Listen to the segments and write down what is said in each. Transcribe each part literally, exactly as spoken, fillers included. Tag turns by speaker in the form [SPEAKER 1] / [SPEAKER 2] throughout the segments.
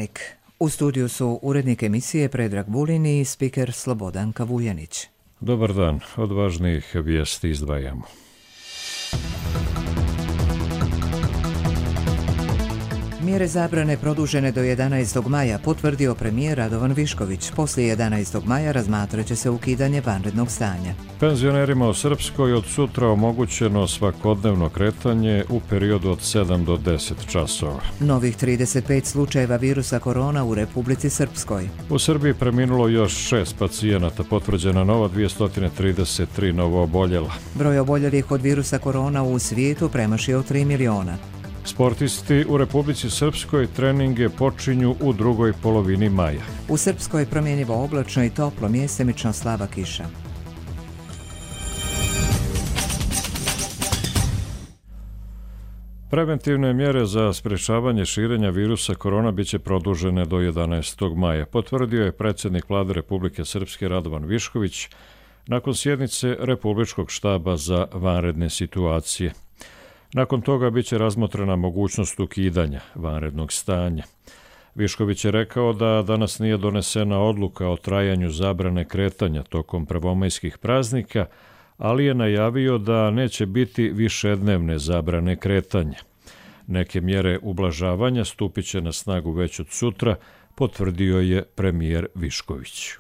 [SPEAKER 1] Dnevnik. U studiju su urednik emisije Predrag Vulin i spiker Slobodan Kavujanić.
[SPEAKER 2] Dobar dan, od važnijih vijesti izdvajamo.
[SPEAKER 1] Mjere zabrane produžene do jedanaestog maja potvrdio premijer Radovan Višković. Poslije jedanaestog maja razmatrat će se ukidanje vanrednog stanja.
[SPEAKER 2] Penzionerima u Srpskoj od sutra omogućeno svakodnevno kretanje u periodu od sedam do deset časova.
[SPEAKER 1] Novih trideset pet slučajeva virusa korona u Republici Srpskoj.
[SPEAKER 2] U Srbiji preminulo još šest pacijenata, potvrđena nova dvjesto trideset tri novooboljela.
[SPEAKER 1] Broj oboljelih od virusa korona u svijetu premašio tri miliona.
[SPEAKER 2] Sportisti u Republici Srpskoj treninge počinju u drugoj polovini maja.
[SPEAKER 1] U Srpskoj promjenjivo oblačno i toplo, mjesemično slaba kiša.
[SPEAKER 2] Preventivne mjere za sprečavanje širenja virusa korona biće produžene do jedanaestog maja, potvrdio je predsjednik Vlade Republike Srpske Radovan Višković nakon sjednice Republičkog štaba za vanredne situacije. Nakon toga biće razmotrena mogućnost ukidanja vanrednog stanja. Višković je rekao da danas nije donesena odluka o trajanju zabrane kretanja tokom prvomajskih praznika, ali je najavio da neće biti višednevne zabrane kretanja. Neke mjere ublažavanja stupit će na snagu već od sutra, potvrdio je premijer Višković.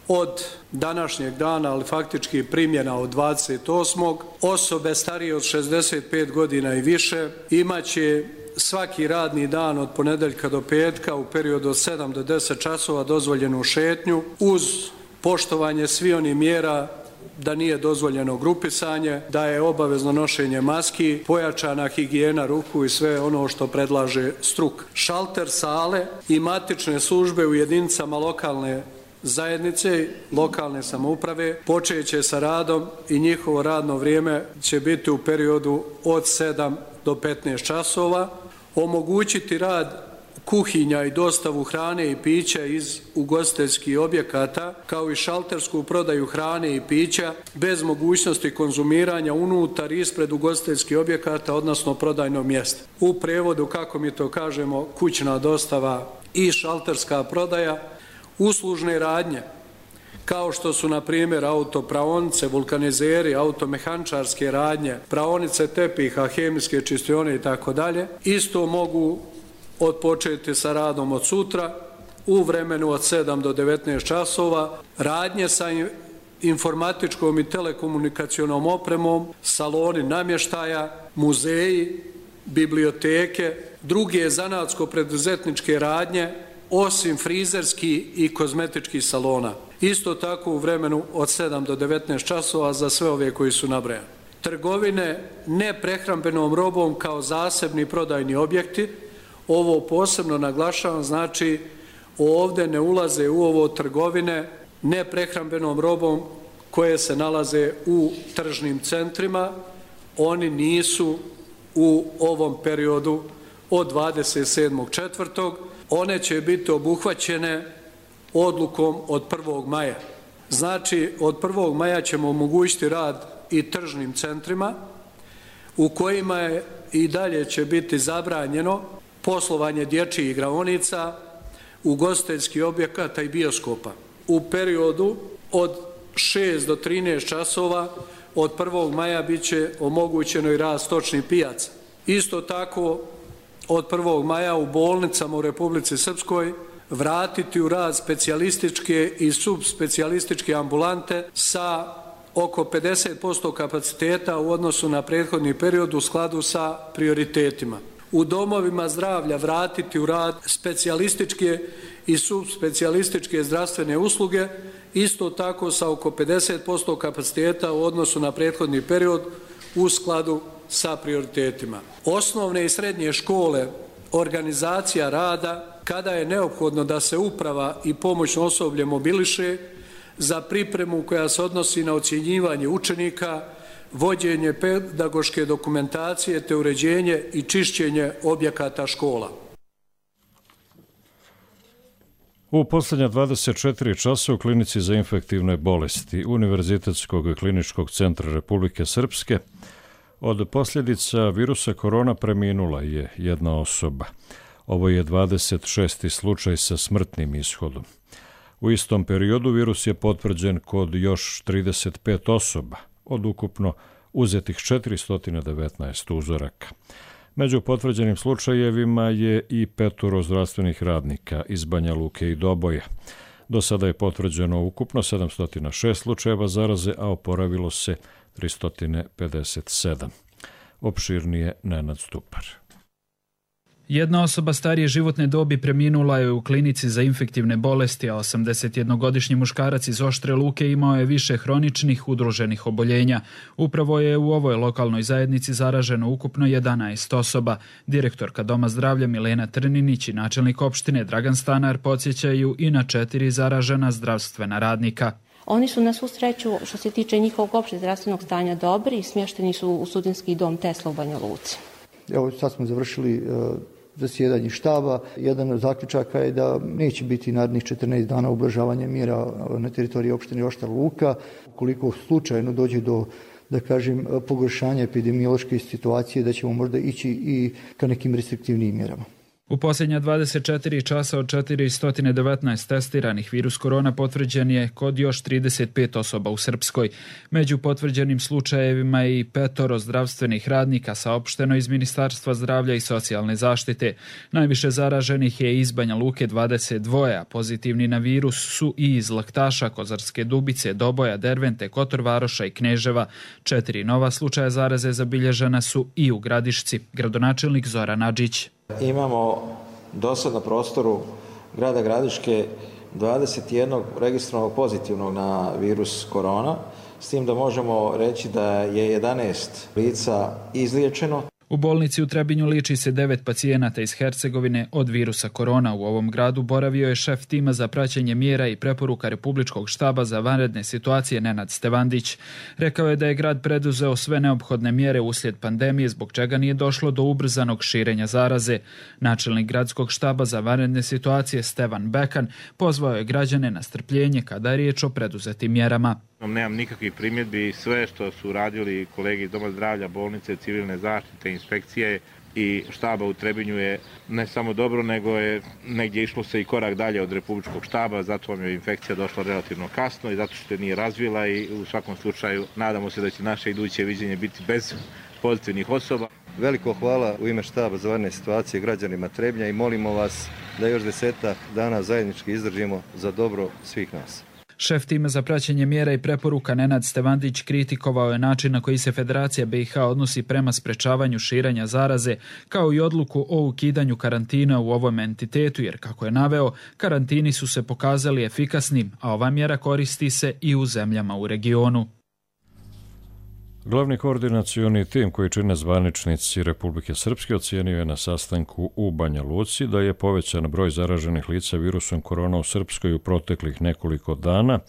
[SPEAKER 3] Od današnjeg dana, ali faktički primjena od dvadeset osmog osobe starije od šezdeset pet godina i više imaće svaki radni dan od ponedjeljka do petka u periodu od sedam do deset časova dozvoljenu šetnju uz poštovanje svih onih mjera da nije dozvoljeno grupisanje, da je obavezno nošenje maski, pojačana higijena ruku i sve ono što predlaže struka. Šalter sale i matične službe u jedinicama lokalne zajednice, lokalne samouprave počet će sa radom i njihovo radno vrijeme će biti u periodu od sedam do petnaest časova. Omogućiti rad kuhinja i dostavu hrane i pića iz ugostiteljskih objekata, kao i šaltersku prodaju hrane i pića bez mogućnosti konzumiranja unutar i ispred ugostiteljskih objekata, odnosno prodajnog mjesta. U prijevodu, kako mi to kažemo, kućna dostava i šalterska prodaja. Uslužne radnje, kao što su na primjer autopraonice, vulkanizeri, automehančarske radnje, praonice tepiha, hemijske čistione i tako dalje, isto mogu odpočeti sa radom od sutra u vremenu od sedam do devetnaest časova. Radnje sa informatičkom i telekomunikacionom opremom, saloni namještaja, muzeji, biblioteke, druge zanatsko-preduzetničke radnje, osim frizerskih i kozmetičkih salona. Isto tako u vremenu od sedam do devetnaest časova za sve ove koji su nabrojani. Trgovine neprehrambenom robom kao zasebni prodajni objekti, ovo posebno naglašavam, znači ovdje ne ulaze u ovo trgovine neprehrambenom robom koje se nalaze u tržnim centrima, oni nisu u ovom periodu od dvadeset sedmog četvrtog One će biti obuhvaćene odlukom od prvog maja. Znači, od prvog maja ćemo omogućiti rad i tržnim centrima u kojima je i dalje će biti zabranjeno poslovanje dječjih igraonica, ugostiteljskih objekata i bioskopa. U periodu od šest do trinaest časova od prvog maja bit će omogućeno i rad stočnih pijaca. Isto tako, od prvog maja u bolnicama u Republici Srpskoj vratiti u rad specijalističke i subspecijalističke ambulante sa oko pedeset posto kapaciteta u odnosu na prethodni period u skladu sa prioritetima. U domovima zdravlja vratiti u rad specijalističke i subspecijalističke zdravstvene usluge, isto tako sa oko pedeset posto kapaciteta u odnosu na prethodni period u skladu sa prioritetima. Osnovne i srednje škole, organizacija rada, kada je neophodno da se uprava i pomoćno osoblje mobiliše za pripremu koja se odnosi na ocjenjivanje učenika, vođenje pedagoške dokumentacije te uređenje i čišćenje objekata škola.
[SPEAKER 2] U posljednja dvadeset četiri časa u klinici za infektivne bolesti Univerzitetskog kliničkog centra Republike Srpske od posljedica virusa korona preminula je jedna osoba. Ovo je dvadeset šesti slučaj sa smrtnim ishodom. U istom periodu virus je potvrđen kod još trideset pet osoba, od ukupno uzetih četiristo devetnaest uzoraka. Među potvrđenim slučajevima je i petoro zdravstvenih radnika iz Banja Luke i Doboja. Do sada je potvrđeno ukupno sedamsto šest slučajeva zaraze, a oporavilo se tristo pedeset sedam. Opširnije Nenad Stupar.
[SPEAKER 4] Jedna osoba starije životne dobi preminula je u klinici za infektivne bolesti, a osamdesetjednogodišnji muškarac iz Oštre Luke imao je više hroničnih udruženih oboljenja. Upravo je u ovoj lokalnoj zajednici zaraženo ukupno jedanaest osoba. Direktorka Doma zdravlja Milena Trninić i načelnik opštine Dragan Stanar podsjećaju i na četiri zaražena zdravstvena radnika.
[SPEAKER 5] Oni su na svu sreću, što se tiče njihovog opšteg zdravstvenog stanja, dobri i smješteni su u studentski dom Tesla u Banja Luci.
[SPEAKER 6] Evo sad smo završili uh, zasjedanje štaba. Jedan od zaključaka je da neće biti narednih četrnaest dana ublažavanja mjera na teritoriji opštine Oštra Luka. Ukoliko slučajno dođe do, da kažem, pogoršanja epidemiološke situacije, da ćemo možda ići i ka nekim restriktivnijim mjerama.
[SPEAKER 4] U posljednja dvadeset četiri časa od četiristo devetnaest testiranih virus korona potvrđen je kod još trideset pet osoba u Srpskoj. Među potvrđenim slučajevima je i petoro zdravstvenih radnika, saopšteno iz Ministarstva zdravlja i socijalne zaštite. Najviše zaraženih je iz Banja Luke dvadeset dva, a pozitivni na virus su i iz Laktaša, Kozarske Dubice, Doboja, Dervente, Kotor Varoša i Kneževa. Četiri nova slučaja zaraze zabilježena su i u Gradišci. Gradonačelnik Zoran Adžić.
[SPEAKER 7] Imamo do sad na prostoru grada Gradiške dvadeset jedan registrovanog pozitivnog na virus korona, s tim da možemo reći da je jedanaest lica izliječeno.
[SPEAKER 4] U bolnici u Trebinju liči se devet pacijenata iz Hercegovine od virusa korona. U ovom gradu boravio je šef tima za praćenje mjera i preporuka Republičkog štaba za vanredne situacije Nenad Stevandić. Rekao je da je grad preduzeo sve neophodne mjere uslijed pandemije, zbog čega nije došlo do ubrzanog širenja zaraze. Načelnik gradskog štaba za vanredne situacije Stevan Bekan pozvao je građane na strpljenje kada je riječ o preduzetim mjerama.
[SPEAKER 8] Nemam nikakvih primjedbi, sve što su radili kolegi iz Doma zdravlja, bolnice, civilne zaštite, inspekcije i štaba u Trebinju je ne samo dobro, nego je negdje išlo se i korak dalje od Republičkog štaba, zato vam je infekcija došla relativno kasno i zato što je nije razvila i u svakom slučaju nadamo se da će naše iduće viđenje biti bez pozitivnih osoba.
[SPEAKER 9] Veliko hvala u ime štaba za vanredne situacije građanima Trebnja i molimo vas da još desetak dana zajednički izdržimo za dobro svih nas.
[SPEAKER 4] Šef tima za praćenje mjera i preporuka Nenad Stevandić kritikovao je način na koji se Federacija B i H odnosi prema sprečavanju širenja zaraze, kao i odluku o ukidanju karantina u ovom entitetu, jer kako je naveo, karantini su se pokazali efikasnim, a ova mjera koristi se i u zemljama u regionu.
[SPEAKER 2] Glavni koordinacioni tim koji čine zvaničnici Republike Srpske ocijenio je na sastanku u Banja Luci da je povećan broj zaraženih lica virusom korona u Srpskoj u proteklih nekoliko dana,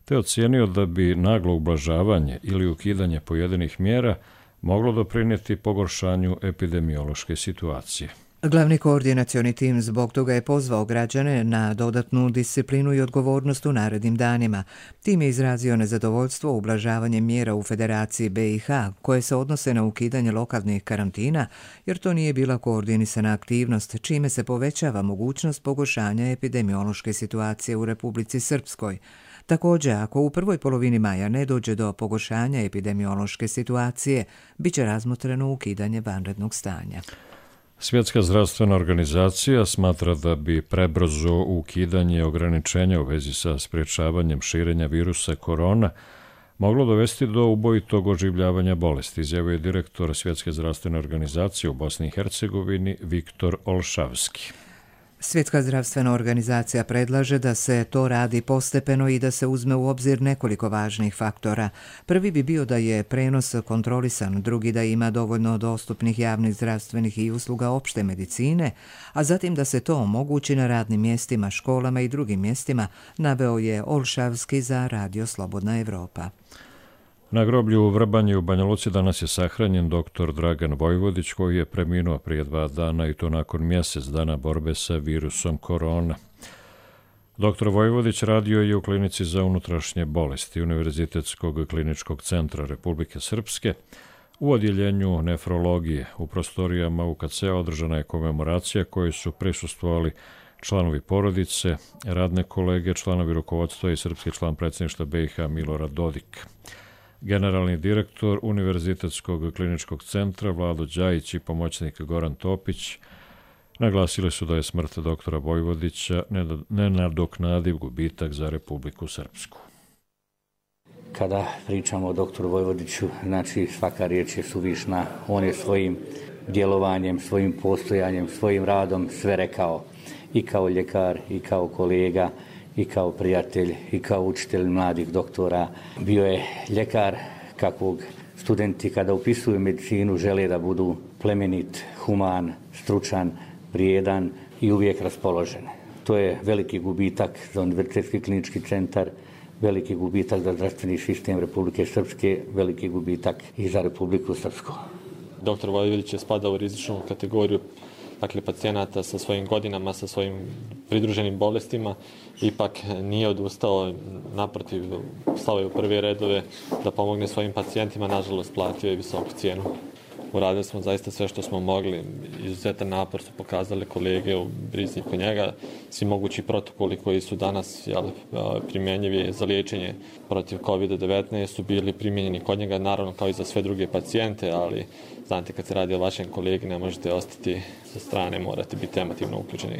[SPEAKER 2] te ocijenio da bi naglo ublažavanje ili ukidanje pojedinih mjera moglo doprinijeti pogoršanju epidemiološke situacije.
[SPEAKER 1] Glavni koordinacioni tim zbog toga je pozvao građane na dodatnu disciplinu i odgovornost u narednim danima. Tim je izrazio nezadovoljstvo ublažavanjem mjera u Federaciji B i H koje se odnose na ukidanje lokalnih karantina, jer to nije bila koordinisana aktivnost, čime se povećava mogućnost pogoršanja epidemiološke situacije u Republici Srpskoj. Također, ako u prvoj polovini maja ne dođe do pogoršanja epidemiološke situacije, bit će razmotreno ukidanje vanrednog stanja.
[SPEAKER 2] Svjetska zdravstvena organizacija smatra da bi prebrzo ukidanje ograničenja u vezi sa sprječavanjem širenja virusa korona moglo dovesti do ubojitog oživljavanja bolesti, izjavio je direktor Svjetske zdravstvene organizacije u Bosni i Hercegovini Viktor Olšavski.
[SPEAKER 1] Svjetska zdravstvena organizacija predlaže da se to radi postepeno i da se uzme u obzir nekoliko važnih faktora. Prvi bi bio da je prenos kontrolisan, drugi da ima dovoljno dostupnih javnih zdravstvenih i usluga opšte medicine, a zatim da se to omogući na radnim mjestima, školama i drugim mjestima, naveo je Olšavski za Radio Slobodna Evropa.
[SPEAKER 2] Na groblju u Vrbanji u Banja Luci danas je sahranjen doktor Dragan Vojvodić, koji je preminuo prije dva dana i to nakon mjesec dana borbe sa virusom korona. Doktor Vojvodić radio je u klinici za unutrašnje bolesti Univerzitetskog kliničkog centra Republike Srpske U odjeljenju nefrologije u prostorijama U K C-a održana je komemoracija kojoj su prisustvovali članovi porodice, radne kolege, članovi rukovodstva i srpski član predsjedništva B i H Milorad Dodik. Generalni direktor Univerzitetskog kliničkog centra Vlado Đajić i pomoćnik Goran Topić naglasili su da je smrt doktora Vojvodića nenadoknadiv gubitak za Republiku Srpsku.
[SPEAKER 10] Kada pričamo o doktoru Vojvodiću, znači svaka riječ je suvišna. On je svojim djelovanjem, svojim postojanjem, svojim radom sve rekao. I kao ljekar, i kao kolega, i kao prijatelj, i kao učitelj mladih doktora. Bio je ljekar kakvog studenti kada upisuju medicinu žele da budu plemenit, human, stručan, vrijedan i uvijek raspoložen. To je veliki gubitak za Univerzitetski klinički centar, veliki gubitak za zdravstveni sistem Republike Srpske, veliki gubitak i za Republiku Srpsku.
[SPEAKER 11] Doktor Vojvodić je spadao u rizičnu kategoriju, dakle pacijenata sa svojim godinama, sa svojim pridruženim bolestima, ipak nije odustao, naprotiv, stao je u prve redove da pomogne svojim pacijentima, nažalost platio je visoku cijenu. Uradili smo zaista sve što smo mogli, izuzetan napor su pokazali kolege u brizi po njega, svi mogući protokoli koji su danas jel, primjenjivi za liječenje protiv kovid devetnaest su bili primjenjeni kod njega, naravno kao i za sve druge pacijente, ali znate kad se radi o vašem kolegi ne možete ostati sa strane, morate biti emotivno uključeni.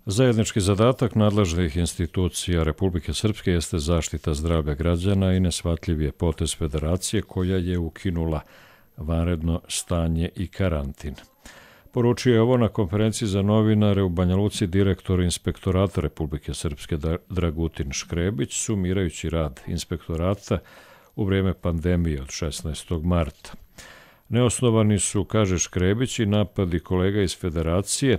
[SPEAKER 2] Zajednički zadatak nadležnih institucija Republike Srpske jeste zaštita zdravlja građana i neshvatljiv je potez federacije koja je ukinula vanredno stanje i karantin. Poručio je ovo na konferenciji za novinare u Banja Luci direktor Inspektorata Republike Srpske Dragutin Škrebić, sumirajući rad inspektorata u vrijeme pandemije od šesnaestog marta. Neosnovani su, kaže Škrebić, i napadi kolega iz federacije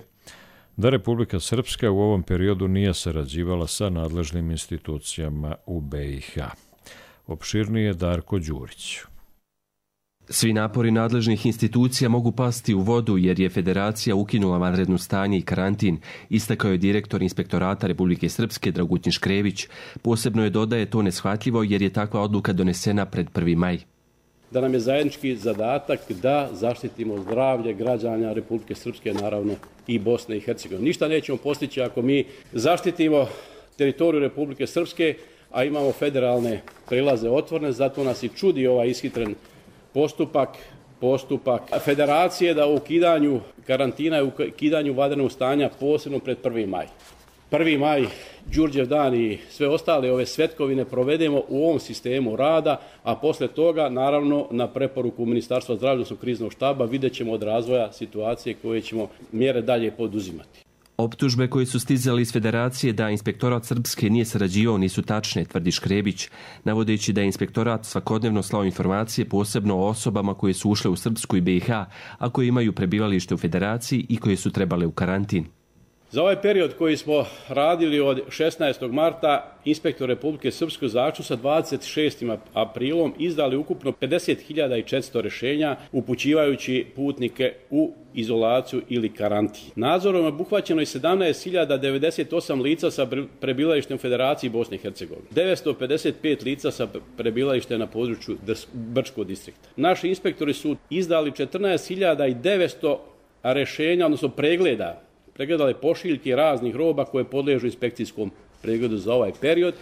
[SPEAKER 2] da Republika Srpska u ovom periodu nije sarađivala sa nadležnim institucijama u B i H. Opširnije Darko Đurić.
[SPEAKER 12] Svi napori nadležnih institucija mogu pasti u vodu jer je federacija ukinula vanredno stanje i karantin, istakao je direktor Inspektorata Republike Srpske Dragutin Škrebić. Posebno je dodaje to neshvatljivo jer je takva odluka donesena pred prvi maj.
[SPEAKER 13] Da nam je zajednički zadatak da zaštitimo zdravlje građana Republike Srpske, naravno i Bosne i Hercegovine. Ništa nećemo postići ako mi zaštitimo teritoriju Republike Srpske, a imamo federalne prelaze otvorene, zato nas i čudi ovaj ishitren postupak, postupak federacije da u ukidanju karantina i u ukidanju vanrednog stanja posebno pred prvi maj. prvi maj, Đurđev dan i sve ostale ove svetkovine provedemo u ovom sistemu rada, a posle toga, naravno, na preporuku Ministarstva zdravlja, odnosno kriznog štaba, vidjet ćemo od razvoja situacije koje ćemo mjere dalje poduzimati.
[SPEAKER 12] Optužbe koje su stizali iz federacije da Inspektorat Srpske nije sarađivao nisu tačne, tvrdi Škrebić, navodeći da je Inspektorat svakodnevno slao informacije posebno o osobama koje su ušle u Srpsku i B i H, a koje imaju prebivalište u federaciji i koje su trebale u karantin.
[SPEAKER 13] Za ovaj period koji smo radili od šesnaestog marta, inspektor Republike Srpske zaključno sa dvadeset šestim aprilom izdali ukupno pedeset hiljada četiristo rješenja upućivajući putnike u izolaciju ili karantin. Nadzorom je obuhvaćeno i sedamnaest hiljada devedeset osam lica sa prebivalištem u Federaciji Bosne i Hercegovine, devetsto pedeset pet lica sa prebivalištem na području Brčkog distrikta. Naši inspektori su izdali četrnaest hiljada devetsto rješenja, odnosno pregleda, pregledale pošiljke raznih roba koje podliježu inspekcijskom pregledu za ovaj period.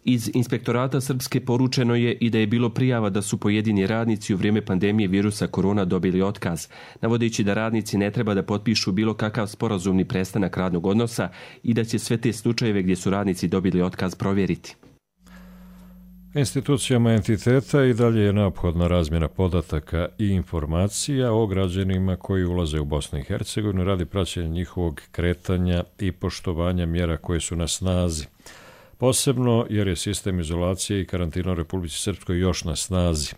[SPEAKER 12] Iz Inspektorata Srpske poručeno je i da je bilo prijava da su pojedini radnici u vrijeme pandemije virusa korona dobili otkaz, navodeći da radnici ne treba da potpišu bilo kakav sporazumni prestanak radnog odnosa i da će sve te slučajeve gdje su radnici dobili otkaz provjeriti.
[SPEAKER 2] Institucijama entiteta i dalje je neophodna razmjena podataka i informacija o građanima koji ulaze u Bosnu i Hercegovinu radi praćenja njihovog kretanja i poštovanja mjera koje su na snazi. Posebno jer je sistem izolacije i karantina u Republici Srpskoj još na snazi.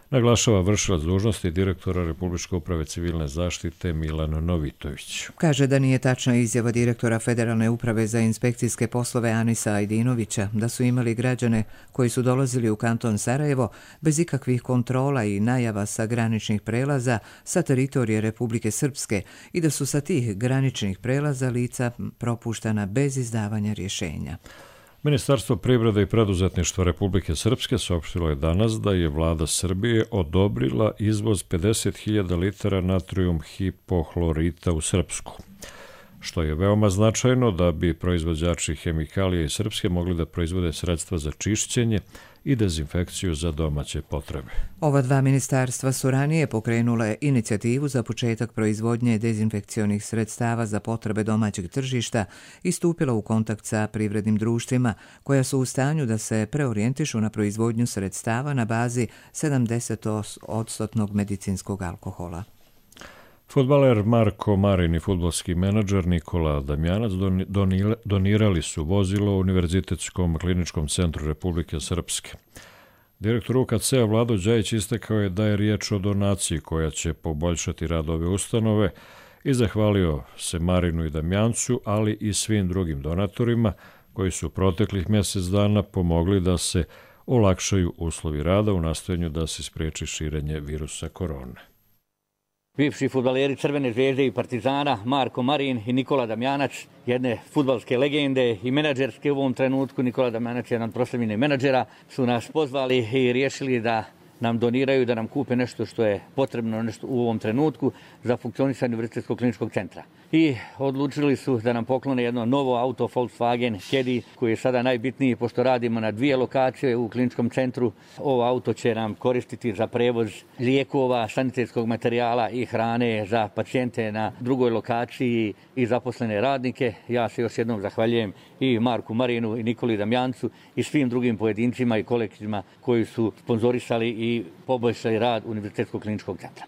[SPEAKER 2] Naglašava vršilac dužnosti direktora Republičke uprave civilne zaštite Milan Novitović.
[SPEAKER 1] Kaže da nije tačna izjava direktora Federalne uprave za inspekcijske poslove Anisa Ajdinovića da su imali građane koji su dolazili u kanton Sarajevo bez ikakvih kontrola i najava sa graničnih prelaza sa teritorije Republike Srpske i da su sa tih graničnih prelaza lica propuštana bez izdavanja rješenja.
[SPEAKER 2] Ministarstvo privrede i preduzetništva Republike Srpske saopštilo je danas da je vlada Srbije odobrila izvoz pedeset hiljada litara natrijum hipohlorita u Srpsku, što je veoma značajno da bi proizvođači hemikalija iz Srpske mogli da proizvode sredstva za čišćenje i dezinfekciju za domaće potrebe.
[SPEAKER 1] Ova dva ministarstva su ranije pokrenule inicijativu za početak proizvodnje dezinfekcionih sredstava za potrebe domaćeg tržišta i stupila u kontakt sa privrednim društvima koja su u stanju da se preorijentišu na proizvodnju sredstava na bazi sedamdeset odstotnog medicinskog alkohola.
[SPEAKER 2] Fudbaler Marko Marin i fudbalski menadžer Nikola Damjanac donirali su vozilo u Univerzitetskom kliničkom centru Republike Srpske. Direktor U K C-a Vlado Đajić istakao je da je riječ o donaciji koja će poboljšati rad ove ustanove i zahvalio se Marinu i Damjancu, ali i svim drugim donatorima koji su proteklih mjesec dana pomogli da se olakšaju uslovi rada u nastojanju da se spriječi širenje virusa korone.
[SPEAKER 14] Bivši fudbaleri Crvene zvezde i Partizana Marko Marin i Nikola Damjanac, jedne fudbalske legende i menadžerske u ovom trenutku. Nikola Damjanac je jedan proslavljeni menadžera, su nas pozvali i riješili da nam doniraju, da nam kupe nešto što je potrebno nešto u ovom trenutku za funkcionisanje Univerzitetskog kliničkog centra. I odlučili su da nam poklone jedno novo auto Volkswagen Caddy koji je sada najbitniji pošto radimo na dvije lokacije u kliničkom centru. Ovo auto će nam koristiti za prevoz lijekova, sanitetskog materijala i hrane za pacijente na drugoj lokaciji i zaposlene radnike. Ja se još jednom zahvaljujem i Marku Marinu i Nikoli Damjancu i svim drugim pojedincima i kolektivima koji su sponzorisali i poboljšali rad Univerzitetskog kliničkog centra.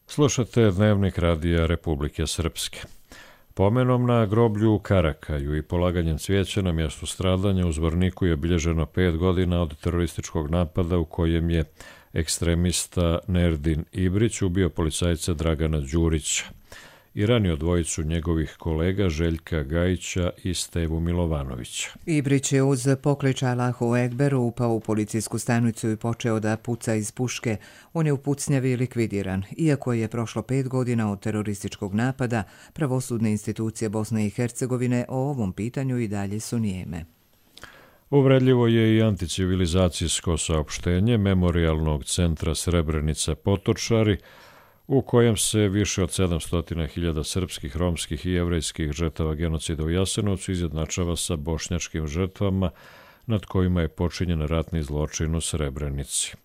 [SPEAKER 2] Slušate Dnevnik radija Republike Srpske. Pomenom na groblju u Karakaju i polaganjem cvijeća na mjestu stradanja u Zvorniku je obilježeno pet godina od terorističkog napada u kojem je ekstremista Nerdin Ibrić ubio policajca Dragana Đurića i ranio dvojicu njegovih kolega Željka Gajića i Stevu Milovanovića.
[SPEAKER 1] Ibrić je uz poklič Allahu Ekber upao u policijsku stanicu i počeo da puca iz puške. On je u pucnjavi likvidiran. Iako je prošlo pet godina od terorističkog napada, pravosudne institucije Bosne i Hercegovine o ovom pitanju i dalje su nijeme.
[SPEAKER 2] Uvredljivo je i anticivilizacijsko saopštenje Memorijalnog centra Srebrenica Potočari, u kojem se više od sedamsto hiljada srpskih, romskih i jevrejskih žrtava genocida u Jasenovcu izjednačava sa bošnjačkim žrtvama nad kojima je počinjen ratni zločin u Srebrenici.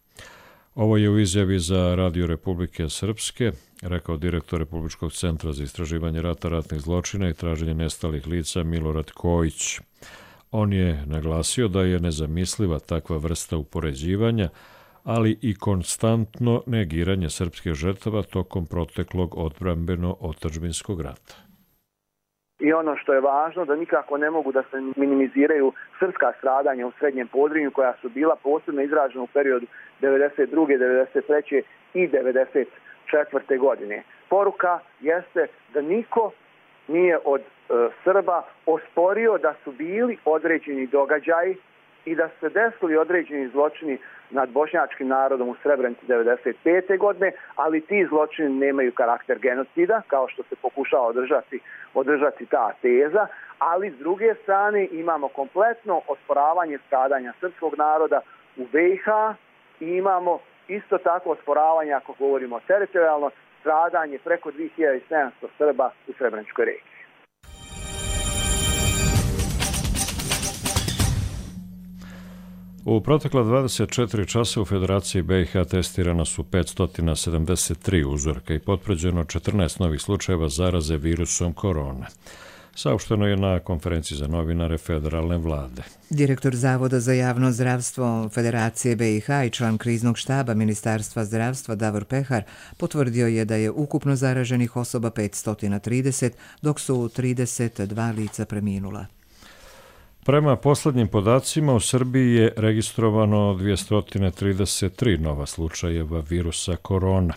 [SPEAKER 2] Ovo je u izjavi za Radio Republike Srpske rekao direktor Republičkog centra za istraživanje rata, ratnih zločina i traženje nestalih lica Milorad Kojić. On je naglasio da je nezamisliva takva vrsta upoređivanja, ali i konstantno negiranje srpskih žrtava tokom proteklog odbrambeno-otadžbinskog rata.
[SPEAKER 15] I ono što je važno, da nikako ne mogu da se minimiziraju srpska stradanja u Srednjem Podrinju koja su bila posebno izražena u periodu devedeset druge, devedeset treće i devedeset četvrte godine. Poruka jeste da niko nije od e, Srba osporio da su bili određeni događaji i da su se desili određeni zločini nad bošnjačkim narodom u Srebrenici devedeset pete godine, ali ti zločini nemaju karakter genocida, kao što se pokušava održati, održati ta teza, ali s druge strane imamo kompletno osporavanje stradanja srpskog naroda u B i H i imamo isto tako osporavanje, ako govorimo teritorijalno, stradanje preko dvije hiljade sedamsto Srba u Srebreničkoj regiji.
[SPEAKER 2] U protekla dvadeset četiri časa u Federaciji B i H testirana su petsto sedamdeset tri uzorka i potvrđeno četrnaest novih slučajeva zaraze virusom korone. Saopšteno je na konferenciji za novinare federalne vlade.
[SPEAKER 1] Direktor Zavoda za javno zdravstvo Federacije B i H i član kriznog štaba Ministarstva zdravstva Davor Pehar potvrdio je da je ukupno zaraženih osoba petsto trideset, dok su trideset dva lica preminula.
[SPEAKER 2] Prema poslednjim podacima, u Srbiji je registrovano dvjesto trideset tri nova slučajeva virusa korona.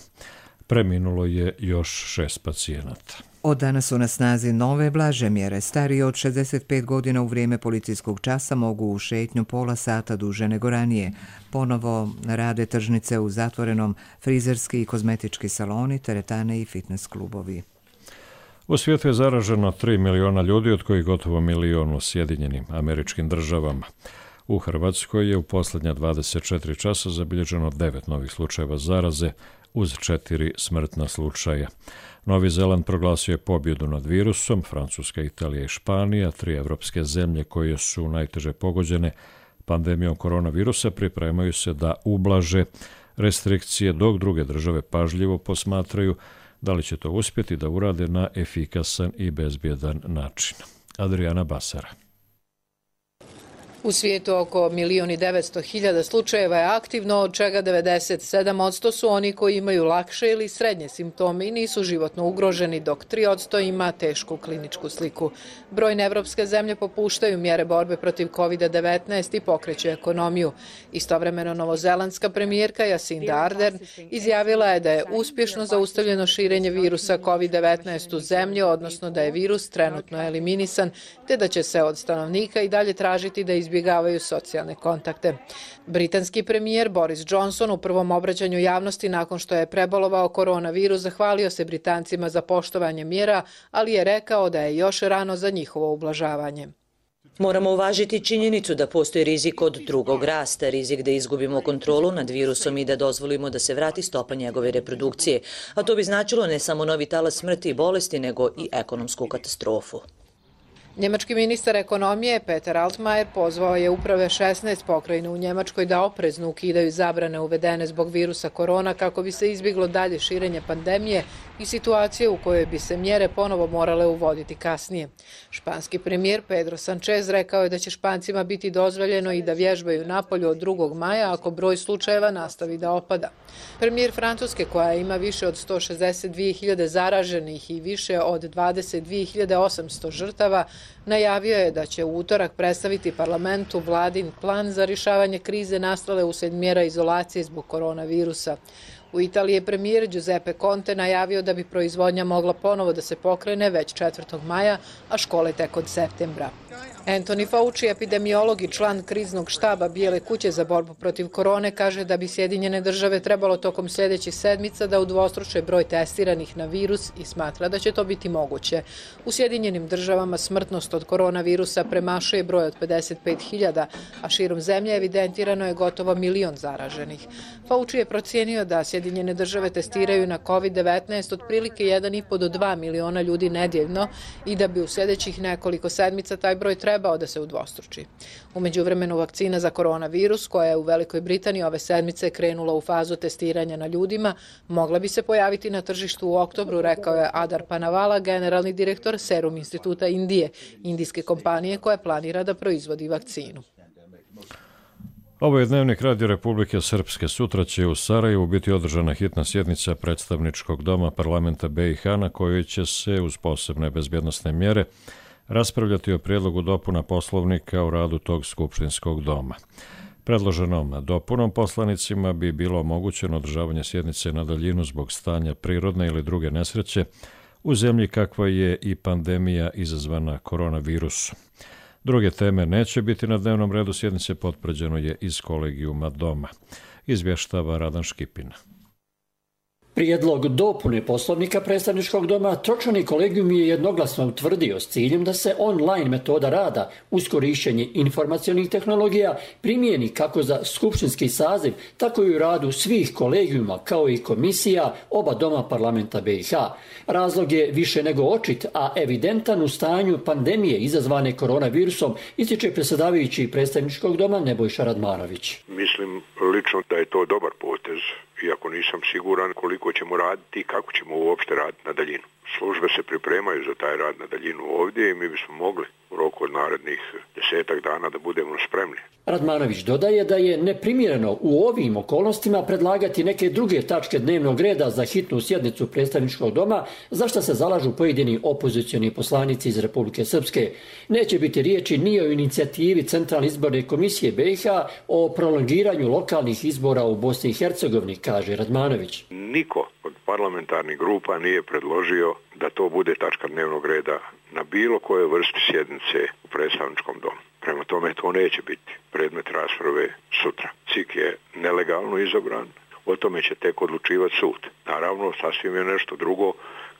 [SPEAKER 2] Preminulo je još šest pacijenata.
[SPEAKER 1] Od danas su na snazi nove blaže mjere. Stariji od šezdeset pet godina u vrijeme policijskog časa mogu u šetnju pola sata duže nego ranije. Ponovo rade tržnice u zatvorenom, frizerski i kozmetički saloni, teretane i fitness klubovi.
[SPEAKER 2] U svijetu je zaraženo tri miliona ljudi, od kojih gotovo milion u Sjedinjenim Američkim Državama. U Hrvatskoj je u posljednja dvadeset četiri časa zabilježeno devet novih slučajeva zaraze uz četiri smrtna slučaja. Novi Zeland proglasio je pobjedu nad virusom, Francuska, Italija i Španija, tri evropske zemlje koje su najteže pogođene pandemijom koronavirusa, pripremaju se da ublaže restrikcije, dok druge države pažljivo posmatraju da li će to uspjeti da urade na efikasan i bezbjedan način. Adriana Basara.
[SPEAKER 16] U svijetu oko milion i devetsto hiljada slučajeva je aktivno, od čega devedeset sedam posto su oni koji imaju lakše ili srednje simptome i nisu životno ugroženi, dok tri posto ima tešku kliničku sliku. Brojne evropske zemlje popuštaju mjere borbe protiv kovid devetnaest i pokreću ekonomiju. Istovremeno novozelandska premijerka Jacinda Ardern izjavila je da je uspješno zaustavljeno širenje virusa kovid devetnaest u zemlji, odnosno da je virus trenutno eliminisan, te da će se od stanovnika i dalje tražiti da izbjegavaju socijalne kontakte. Britanski premijer Boris Johnson u prvom obraćanju javnosti nakon što je prebolovao koronavirus zahvalio se Britancima za poštovanje mjera, ali je rekao da je još rano za njihovo ublažavanje.
[SPEAKER 17] Moramo uvažiti činjenicu da postoji rizik od drugog rasta, rizik da izgubimo kontrolu nad virusom i da dozvolimo da se vrati stopa njegove reprodukcije, a to bi značilo ne samo novi talas smrti i bolesti, nego i ekonomsku katastrofu.
[SPEAKER 16] Njemački ministar ekonomije Peter Altmaier pozvao je uprave šesnaest pokrajina u Njemačkoj da oprezno ukidaju zabrane uvedene zbog virusa korona kako bi se izbjeglo dalje širenje pandemije i situacije u kojoj bi se mjere ponovo morale uvoditi kasnije. Španski premijer Pedro Sanchez rekao je da će Špancima biti dozvoljeno i da vježbaju napolju od drugog maja ako broj slučajeva nastavi da opada. Premijer Francuske, koja ima više od sto šezdeset dvije hiljade zaraženih i više od dvadeset dvije hiljade osamsto žrtava, najavio je da će u utorak predstaviti parlamentu vladin plan za rješavanje krize nastale uslijed mjera izolacije zbog koronavirusa. U Italiji je premijer Giuseppe Conte najavio da bi proizvodnja mogla ponovo da se pokrene već četvrtog maja, a škole tek od septembra. Anthony Fauci, epidemiolog i član kriznog štaba Bijele kuće za borbu protiv korone, kaže da bi Sjedinjene države trebalo tokom sljedećih sedmica da udvostruče broj testiranih na virus i smatra da će to biti moguće. U Sjedinjenim državama smrtnost od koronavirusa premašuje broj od pedeset pet hiljada, a širom zemlje evidentirano je gotovo milion zaraženih. Fauci je procijenio da Sjedinjene države testiraju na kovid devetnaest otprilike jedan i po do dva miliona ljudi nedjeljno i da bi u sljedećih nekoliko sedmica taj broj trebao da se udvostruči. U međuvremenu vakcina za koronavirus, koja je u Velikoj Britaniji ove sedmice krenula u fazu testiranja na ljudima, mogla bi se pojaviti na tržištu u oktobru, rekao je Adar Panavala, generalni direktor Serum instituta Indije, indijske kompanije koja planira da proizvodi vakcinu.
[SPEAKER 2] Ovo je Dnevnik Radio Republike Srpske. Sutra će u Sarajevu biti održana hitna sjednica predstavničkog doma parlamenta B i H na kojoj će se uz posebne bezbjednosne mjere raspravljati o prijedlogu dopuna poslovnika o radu tog skupštinskog doma. Predloženom dopunom poslanicima bi bilo omogućeno održavanje sjednice na daljinu zbog stanja prirodne ili druge nesreće u zemlji kakva je i pandemija izazvana koronavirusom. Druge teme neće biti na dnevnom redu sjednice, potvrđeno je iz kolegijuma doma. Izvještava Radan Škipina.
[SPEAKER 18] Prijedlog dopune poslovnika predstavničkog doma Tročani kolegijum je jednoglasno utvrdio s ciljem da se online metoda rada uz korištenje informacionih tehnologija primijeni kako za skupštinski saziv, tako i u radu svih kolegijuma kao i komisija oba doma parlamenta B i H. Razlog je više nego očit, a evidentan u stanju pandemije izazvane koronavirusom, ističe predsjedavajući predstavničkog doma Nebojša Radmanović.
[SPEAKER 19] Mislim lično da je to dobar potez, iako nisam siguran koliko ćemo raditi i kako ćemo uopšte raditi na daljinu. Službe se pripremaju za taj rad na daljinu ovdje i mi bismo mogli u roku od narednih desetak dana da budemo spremni.
[SPEAKER 18] Radmanović dodaje da je neprimjereno u ovim okolnostima predlagati neke druge tačke dnevnog reda za hitnu sjednicu predstavničkog doma, za što se zalažu pojedini opozicioni poslanici iz Republike Srpske. Neće biti riječi ni o inicijativi Centralne izborne komisije B i H o prolongiranju lokalnih izbora u Bosni i Hercegovini, kaže Radmanović.
[SPEAKER 19] Niko od parlamentarnih grupa nije predložio da to bude tačka dnevnog reda na bilo kojoj vrsti sjednice u predstavničkom domu. Prema tome to neće biti predmet rasprave sutra. C I K je nelegalno izabran, o tome će tek odlučivati sud. Naravno, sasvim je nešto drugo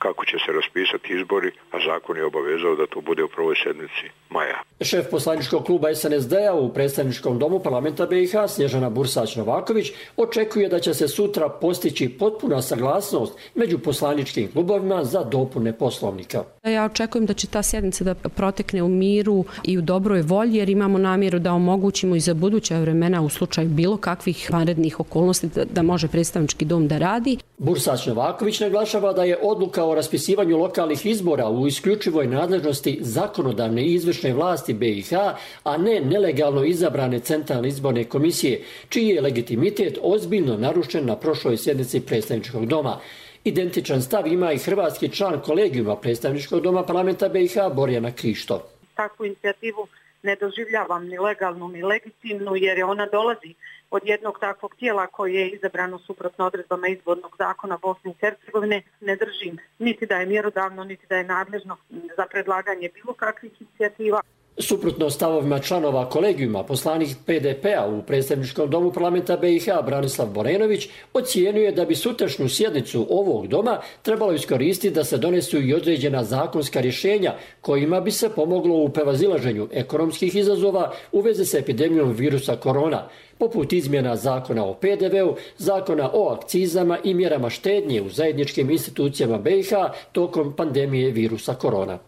[SPEAKER 19] kako će se raspisati izbori, a zakon je obavezao da to bude u prvoj sedmici maja.
[SPEAKER 18] Šef poslaničkog kluba es en es de-a u predstavničkom domu parlamenta be i ha Snježana Bursać-Novaković očekuje da će se sutra postići potpuna saglasnost među poslaničkim klubovima za dopune Poslovnika.
[SPEAKER 20] Ja očekujem da će ta sjednica da protekne u miru i u dobroj volji, jer imamo namjeru da omogućimo i za buduća vremena u slučaju bilo kakvih vanrednih okolnosti da, da može predstavnički dom da radi.
[SPEAKER 18] Bursać-Novaković naglašava da je odluka o raspisivanju lokalnih izbora u isključivoj nadležnosti zakonodavne i izvršne vlasti be i ha, a ne nelegalno izabrane centralne izborne komisije, čiji je legitimitet ozbiljno narušen na prošloj sjednici predstavničkog doma. Identičan stav ima i hrvatski član kolegijuma predstavničkog doma parlamenta be i ha Borjana Krišto.
[SPEAKER 21] Takvu inicijativu ne doživljavam ni legalnu ni legitimnu, jer je ona dolazi od jednog takvog tijela koje je izabrano suprotno odredbama izbornog zakona Bosne i Hercegovine. Ne držim niti da je mjerodavno, niti da je nadležno za predlaganje bilo kakvih inicijativa.
[SPEAKER 18] Suprotno stavovima članova kolegijuma, poslanik pe de pe-a u predstavničkom domu parlamenta be i ha Branislav Borenović ocijenio da bi sutrašnju sjednicu ovog doma trebalo iskoristiti da se donesu i određena zakonska rješenja kojima bi se pomoglo u prevazilaženju ekonomskih izazova u vezi s epidemijom virusa korona, poput izmjena zakona o pe de ve-u, zakona o akcizama i mjerama štednje u zajedničkim institucijama be i ha tokom pandemije virusa korona.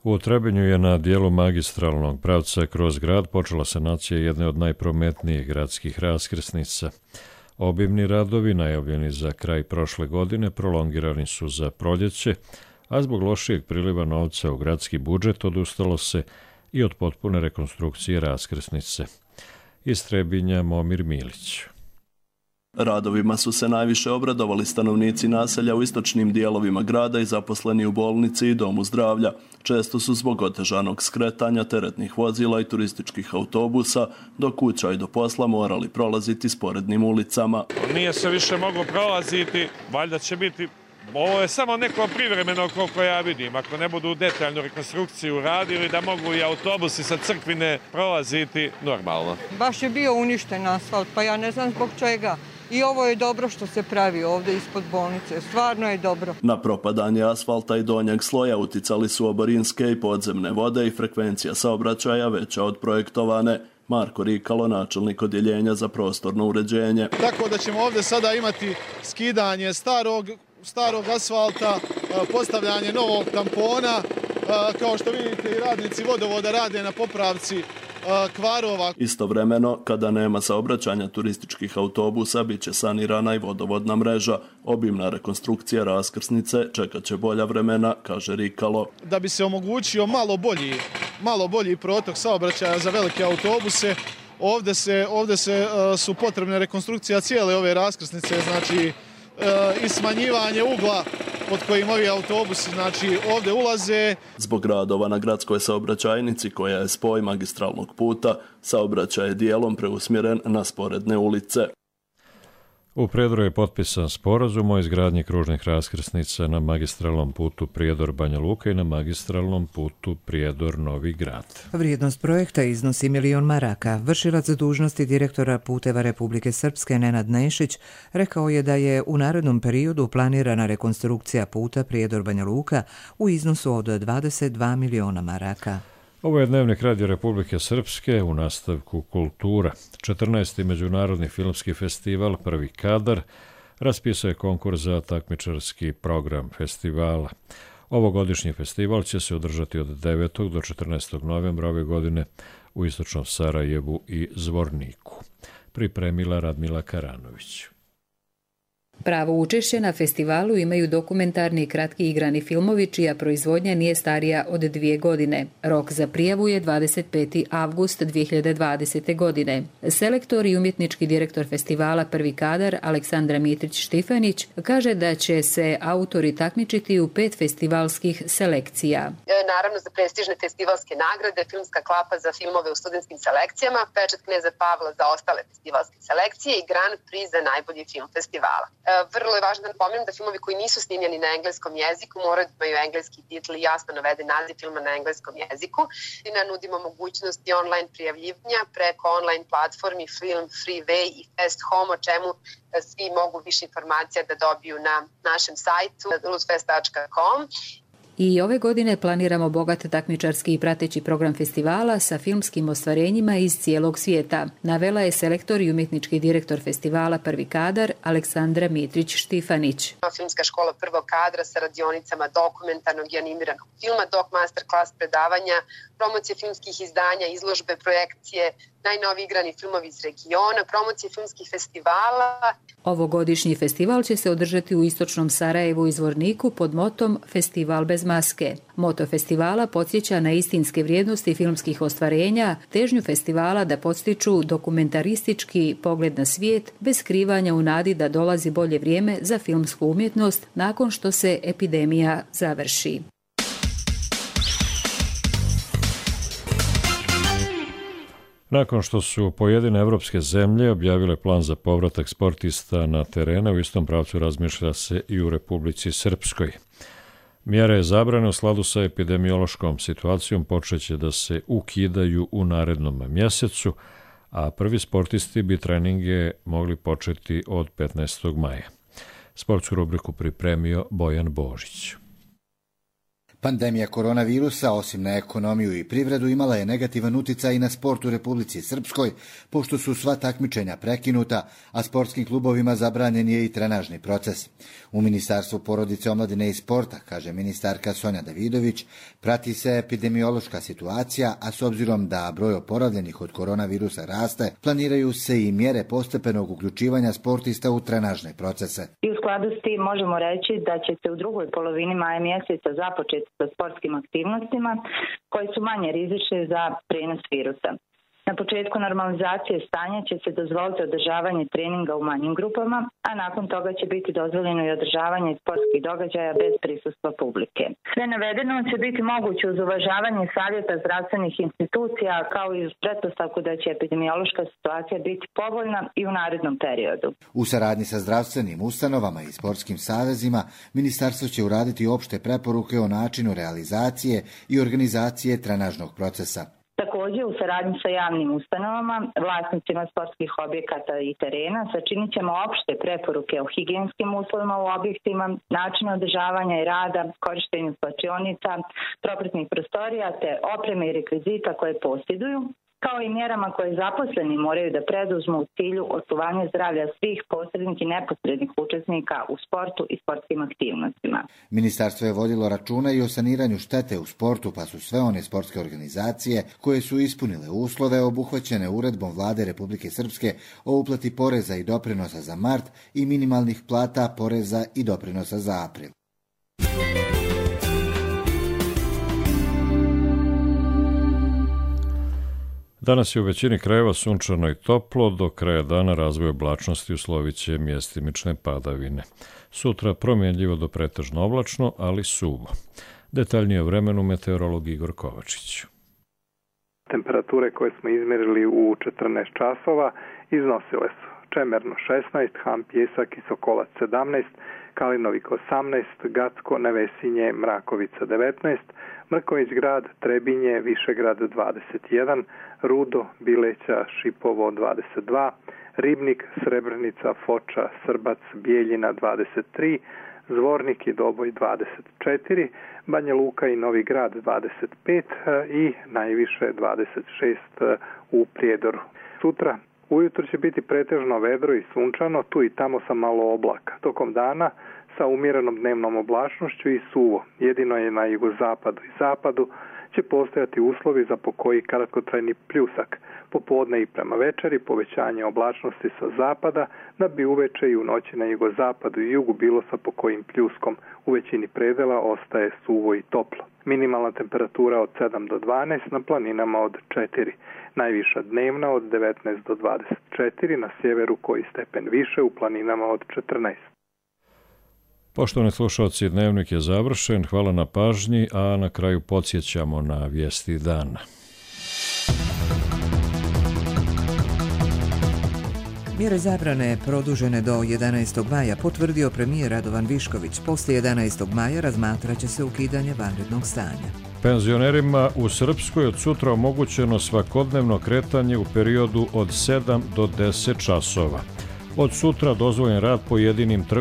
[SPEAKER 2] U Trebinju je na dijelu magistralnog pravca kroz grad počela sanacija jedne od najprometnijih gradskih raskrsnica. Obimni radovi, najavljeni za kraj prošle godine, prolongirani su za proljeće, a zbog lošijeg priliva novca u gradski budžet odustalo se i od potpune rekonstrukcije raskrsnice. Iz Trebinja Momir Milić.
[SPEAKER 22] Radovima su se najviše obradovali stanovnici naselja u istočnim dijelovima grada i zaposleni u bolnici i domu zdravlja. Često su zbog otežanog skretanja teretnih vozila i turističkih autobusa do kuća i do posla morali prolaziti sporednim ulicama.
[SPEAKER 23] Nije se više moglo prolaziti, valjda će biti. Ovo je samo neko privremeno koliko ja vidim. Ako ne budu detaljnu rekonstrukciju radili, da mogu i autobusi sa Crkvine prolaziti normalno.
[SPEAKER 24] Baš je bio uništen asfalt, pa ja ne znam zbog čega. I ovo je dobro što se pravi ovdje ispod bolnice, stvarno je dobro.
[SPEAKER 22] Na propadanje asfalta i donjeg sloja uticali su oborinske i podzemne vode i frekvencija saobraćaja veća od projektovane. Marko Rikalo, načelnik odjeljenja za prostorno uređenje.
[SPEAKER 25] Tako da ćemo ovdje sada imati skidanje starog, starog asfalta, postavljanje novog tampona. Kao što vidite, i radnici vodovoda rade na popravci kvarova.
[SPEAKER 22] Istovremeno, kada nema saobraćanja turističkih autobusa, bit će sanirana i vodovodna mreža. Obimna rekonstrukcija raskrsnice čekat će bolja vremena, kaže Rikalo.
[SPEAKER 25] Da bi se omogućio malo bolji, malo bolji protok saobraćaja za velike autobuse, ovdje, se, ovdje se, uh, su potrebne rekonstrukcija cijele ove raskrsnice, znači uh, i smanjivanje ugla pod kojim ovi autobusi znači, ovdje ulaze.
[SPEAKER 22] Zbog radova na gradskoj saobraćajnici, koja je spoj magistralnog puta, saobraćaj je dijelom preusmjeren na sporedne ulice.
[SPEAKER 2] U Prijedoru je potpisan sporazum o izgradnji kružnih raskrsnica na magistralnom putu Prijedor-Banja Luka i na magistralnom putu Prijedor-Novi Grad.
[SPEAKER 1] Vrijednost projekta iznosi milion maraka. Vršilac dužnosti direktora Puteva Republike Srpske Nenad Nešić rekao je da je u narednom periodu planirana rekonstrukcija puta Prijedor-Banja Luka u iznosu od dvadeset dva miliona maraka.
[SPEAKER 2] Ovo je Dnevnik Radio Republike Srpske, u nastavku kultura. četrnaesti Međunarodni filmski festival Prvi kadar raspisao je konkurs za takmičarski program festivala. Ovogodišnji festival će se održati od devetog do četrnaestog novembra ove godine u istočnom Sarajevu i Zvorniku. Pripremila Radmila Karanović.
[SPEAKER 26] Pravo učešće na festivalu imaju dokumentarni i kratki igrani filmovi čija proizvodnja nije starija od dvije godine. Rok za prijavu je dvadeset peti avgust dvije hiljade dvadesete. godine. Selektor i umjetnički direktor festivala Prvi kadar Aleksandra Mitrić-Štifanić kaže da će se autori takmičiti u pet festivalskih selekcija.
[SPEAKER 27] Naravno za prestižne festivalske nagrade, filmska klapa za filmove u studentskim selekcijama, pečat Kneza Pavla za ostale festivalske selekcije i Grand Prix za najbolji film festivala. Vrlo je važno da napomenem da filmovi koji nisu snimljeni na engleskom jeziku moraju da imaju engleski titl i jasno naveden naziv filma na engleskom jeziku. I na nudimo mogućnosti online prijavljivanja preko online platformi Film Freeway i Fest Home, o čemu svi mogu više informacija da dobiju na našem sajtu luzfest tačka com.
[SPEAKER 26] I ove godine planiramo bogat takmičarski i prateći program festivala sa filmskim ostvarenjima iz cijelog svijeta. Navela je selektor i umjetnički direktor festivala Prvi kadar Aleksandra Mitrić-Štifanić.
[SPEAKER 27] Filmska škola prvog kadra sa radionicama dokumentarnog i animiranog filma, dok masterclass predavanja, promocije filmskih izdanja, izložbe, projekcije, najnoviji igrani filmovi iz regiona, promocije filmskih festivala.
[SPEAKER 26] Ovogodišnji festival će se održati u istočnom Sarajevu i Zvorniku pod motom Festival bez maske. Moto festivala podsjeća na istinske vrijednosti filmskih ostvarenja, težnju festivala da podstiču dokumentaristički pogled na svijet bez skrivanja u nadi da dolazi bolje vrijeme za filmsku umjetnost nakon što se epidemija završi.
[SPEAKER 2] Nakon što su pojedine evropske zemlje objavile plan za povratak sportista na terene, u istom pravcu razmišlja se i u Republici Srpskoj. Mjere zabrane u skladu sa epidemiološkom situacijom počeće da se ukidaju u narednom mjesecu, a prvi sportisti bi treninge mogli početi od petnaestog maja. Sportsku rubriku pripremio Bojan Božić.
[SPEAKER 3] Pandemija koronavirusa, osim na ekonomiju i privredu, imala je negativan uticaj i na sport u Republici Srpskoj, pošto su sva takmičenja prekinuta, a sportskim klubovima zabranjen je i trenažni proces. U Ministarstvu porodice, omladine i sporta, kaže ministarka Sonja Davidović, prati se epidemiološka situacija, a s obzirom da broj oporavljenih od koronavirusa raste, planiraju se i mjere postepenog uključivanja sportista u trenažne procese.
[SPEAKER 4] I u skladu s tim možemo reći da će se u drugoj polovini maja mjeseca započeti sa sportskim aktivnostima koji su manje rizične za prenos virusa. Na početku normalizacije stanja će se dozvoliti održavanje treninga u manjim grupama, a nakon toga će biti dozvoljeno i održavanje sportskih događaja bez prisustva publike. Sve navedeno će biti moguće uz uvažavanje savjeta zdravstvenih institucija, kao i uz pretpostavku da će epidemiološka situacija biti povoljna i u narednom periodu.
[SPEAKER 3] U saradnji sa zdravstvenim ustanovama i sportskim savezima, ministarstvo će uraditi opšte preporuke o načinu realizacije i organizacije trenažnog procesa.
[SPEAKER 4] Također, u saradnji sa javnim ustanovama, vlasnicima sportskih objekata i terena, sačinit ćemo opšte preporuke o higijenskim uslovima u objektima, načinu održavanja i rada, korištenju slačionica, propratnih prostorija te opreme i rekvizita koje posjeduju, kao i mjerama koje zaposleni moraju da preduzmu u cilju očuvanja zdravlja svih posrednih i neposrednih učesnika u sportu i sportskim aktivnostima.
[SPEAKER 3] Ministarstvo je vodilo računa i o saniranju štete u sportu, pa su sve one sportske organizacije koje su ispunile uslove obuhvaćene uredbom Vlade Republike Srpske o uplati poreza i doprinosa za mart i minimalnih plata, poreza i doprinosa za april.
[SPEAKER 2] Danas je u većini krajeva sunčano i toplo, do kraja dana razvoj oblačnosti uslovit će mjestimične padavine. Sutra promjenljivo do pretežno oblačno, ali suvo. Detaljnije o vremenu meteorolog Igor Kovačić.
[SPEAKER 5] Temperature koje smo izmjerili u četrnaest časova iznosile su Čemerno šesnaest, Ham Pjesak i Sokolac sedamnaest, Kalinovik osamnaest, Gacko, Nevesinje, Mrakovica devetnaest, Mrković grad, Trebinje, Višegrad dvadeset jedan, Rudo, Bileća, Šipovo dvadeset dva, Ribnik, Srebrenica, Foča, Srbac, Bijeljina dvadeset tri, Zvornik i Doboj dvadeset četiri, Banja Luka i Novi Grad dvadeset pet i najviše dvadeset šest u Prijedoru. Sutra ujutro će biti pretežno vedro i sunčano, tu i tamo sa malo oblaka. Tokom dana sa umjerenom dnevnom oblačnošću i suvo. Jedino je na jugozapadu i zapadu će postojati uslovi za pokoji kratkotrajni pljusak. Popodne i prema večeri povećanje oblačnosti sa zapada, da bi uveče i u noći na jugozapadu i jugu bilo sa pokojim pljuskom. U većini predela ostaje suvo i toplo. Minimalna temperatura od sedam do dvanaest, na planinama od četiri. Najviša dnevna od devetnaest do dvadeset četiri, na sjeveru koji stepen više, u planinama od četrnaest.
[SPEAKER 2] Poštovani slušalci, dnevnik je završen. Hvala na pažnji, a na kraju podsjećamo na vijesti dana.
[SPEAKER 1] Mjere zabrane produžene do jedanaestog maja potvrdio premijer Radovan Višković. Poslije jedanaestog maja razmatraće se ukidanje vanrednog stanja.
[SPEAKER 2] Penzionerima u Srpskoj od sutra omogućeno svakodnevno kretanje u periodu od sedam do deset časova. Od sutra dozvoljen rad pojedinim trgovinama